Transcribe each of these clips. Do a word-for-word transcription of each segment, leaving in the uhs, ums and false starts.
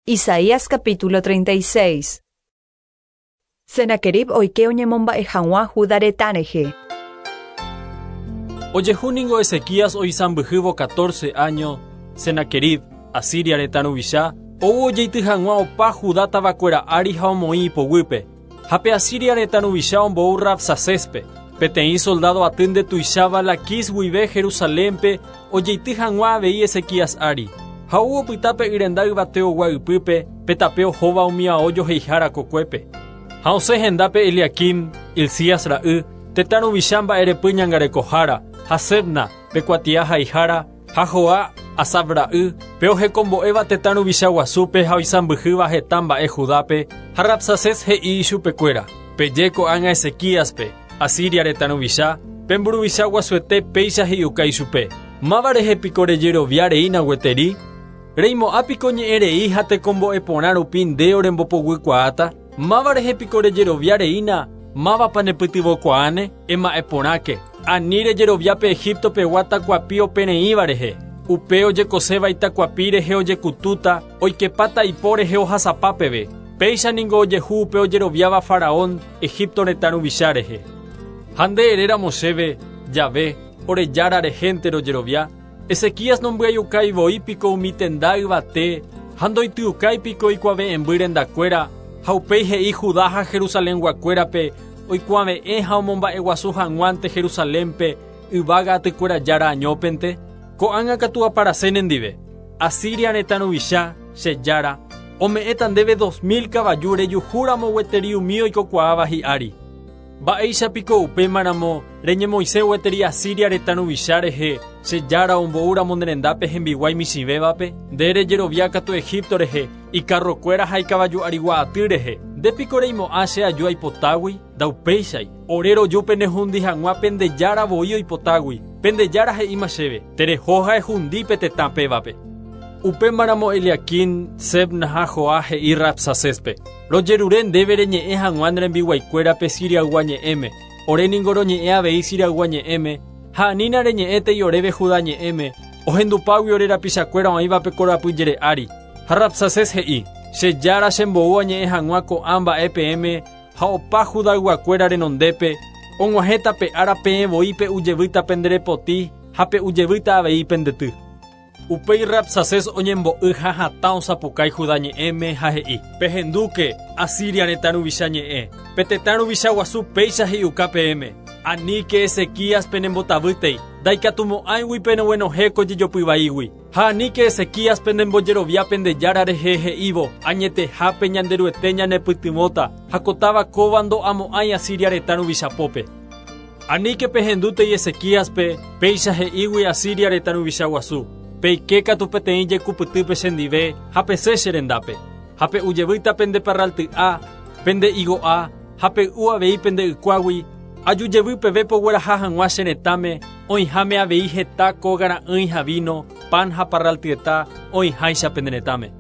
Isaías capítulo treinta y seis. Senaquerib oike oñemomba'e hag̃ua Judá retã rehe. Ojehu ningo Ezequías oisãmbyhývo catorce año, Senaquerib, Asiria retã ruvicha, ou ojeity hag̃ua opa Judá tavakuéra ári ha omoĩ ipoguýpe. Ha pe Asiria retã ruvicha ombou Rabsacéspe, peteĩ soldado aty ndetuicháva Laquis guive Jerusalénpe ojeity hag̃ua avei Ezequías ári. Ha ou opyta pe yrenda yvateogua ypýpe, pe tape ohóva umi ao joheihára kokuépe. Ha osẽ hendápe Eliaquim, Hilcías ra'y, tetã ruvicha mba'erepy ñangarekohára, ha Sebna, pe kuatia haihára, ha Joa, Asaf ra'y, pe ohekombo'éva tetã ruvicha guasúpe ha oisãmbyhýva heta mba'e Judápe, ha Rabsacés he'i ichupekuéra: Peje ko'ág̃a Ezequíaspe, Asiria retã ruvicha, pe mburuvicha guasuete péicha he'iuka ichupe. Máva rehe piko rejerovia reína gueteri? Reimo'ã piko ñe'ẽ rei ha tekombo'e porã rupi nde orembopoguykuaáta? Máva rehe piko rejerovia reína? Mávapa nepytyvõkuaáne? Ema'ẽ porãke, ani rejerovia pe Egipto pegua takuapi opereĩva rehe. Upe ojekoséva itakuapi rehe ojekutúta, oikepáta ipo rehe ohasapa peve. Péicha ningo ojehu upe ojeroviáva Faraón, Egipto retã ruvicha rehe. Ha nde eréramo chéve, Jahve, ore Jára rehénte rojerovia, Ezequías nombyaiukái voi piko umi tenda yvate, ha ndoityukái piko ikuave'ẽmby rendakuéra, ha upéi he'i Judá ha Jerusalenguakuérape oikuave'ẽ ha omomba'eguasu hag̃uánte Jerusalénpe yvága atykuéra Jára añópente. Ko'ág̃a katu aparase nendive. Asiria retã ruvicha, che Jára, ome'ẽta ndéve dos mil kavaju rejuhúramo gueteri umi oikokuaáva hi'ári. Mba'éicha piko upémaramo reñemoĩse gueteri Asiria retã ruvicha rehe, che Jára omboúramo ne rendápe hembiguái michĩvévape? Nde rejerovia katu Egipto rehe, ikarrokuéra ha ikavaju arigua aty rehe. Nde piko reimo'ã che aju aipotágui? Ndaupéichai. Ore roju penehundi hag̃ua pende Jára voi oipotágui. Pende Jára he'íma chéve, tereho ha ehundi pe tetã pévape. Upémaramo Eliaquim, Sebna ha Joa he'i Rabsacéspe: Rojerure ndéve reñe'ẽ hag̃ua ne rembiguaikuérape Siriaygua ñe'ẽme. Ore ningo roñe'ẽ avei Siriaygua ñe'ẽme, ha anína reñe'ẽtei oréve Judá ñe'ẽme, ohendupágui ore rapichakuéra oĩva pe korapy jere ári. Ha Rabsacés he'i: Che Jára chembou añe'ẽ hag̃ua ko'ã mba'e peẽme ha opa Judayguakuéra renondépe, og̃uahẽta pe ára peẽ voi pe'ujevýta penderepoti ha pe'ujevýta avei pendety. Upéi Rabsacés oñembo'y ha hatã osapukái Judá ñe'ẽme ha he'i: Pehendúke, Asiria retã ruvicha ñe'ẽ. Pe tetã ruvicha guasu péicha he'iuka peẽme. Aníke Ezequías penembotavýtei, ndaikatumo'ãigui peneguenohẽ ko jejopy vaígui. Ha aníke Ezequías penembojerovia pende Jára rehe he'ívo, añetehápe Ñanderuete ñanepytyvõta, ha ko táva kóva ndo'amo'ãi Asiria retã ruvicha pópe. Aníke pehendútei Ezequíaspe, péicha he'ígui Asiria retã ruvicha guasu. Peike katu peteĩ jekupytýpe chendive ha pesẽ che rendápe. Ha pe'ujevýta pende parralty'a, pende higo'a, ha pey'u avei pende ykuágui, aju jevy peve pogueraha hag̃ua che retãme, oĩháme avei heta kóga ra'ỹi ha vino, pan ha parraltyeta oĩháicha pende retãme.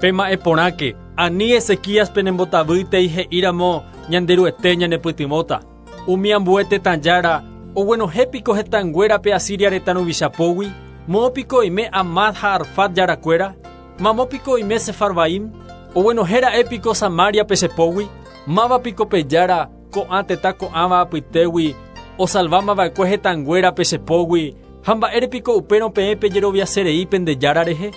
Pema'ẽ porãke, ani Ezequías penembotavýtei he'íramo Ñanderuete ñanepytyvõta. Umi ambue tetã jára, oguenohẽ piko hetãnguérape Asiria retã ruvicha pógui? Moõ piko oime Hamat ha Arfad jarakuéra? Mamo piko oime Sefarvaim? Oguenohẽ ra'e piko Samariape che pógui? Máva piko pe jára ko'ã tetã ko'ãva apytégui osalvámava'ekue hetãnguérape che pógui, ha mba'ére piko upérõ peẽ pejeroviaserei pende Jára rehe?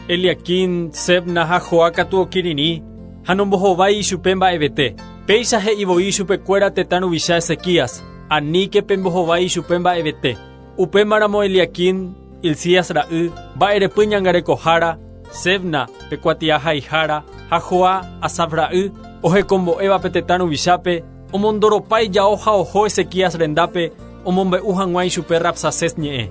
Eliaquim, Sebna ha Joa katu okirirĩ, ha nombohovái ichupe mba'evete. Péicha he'i voi ichupekuéra tetã ruvicha Ezequías, aníke pembohovái ichupe mba'evete. Upémaramo Eliaquim, Hilcías ra'y, mba'erepy ñangarekohára, Sebna, pe kuatia haihára, ha Joa, Asaf ra'y, ohekombo'éva pe tetã ruvichápe, omondoropa ijao ha oho Ezequías rendápe, omombe'u hag̃ua ichupe Rabsacés ñe'ẽ.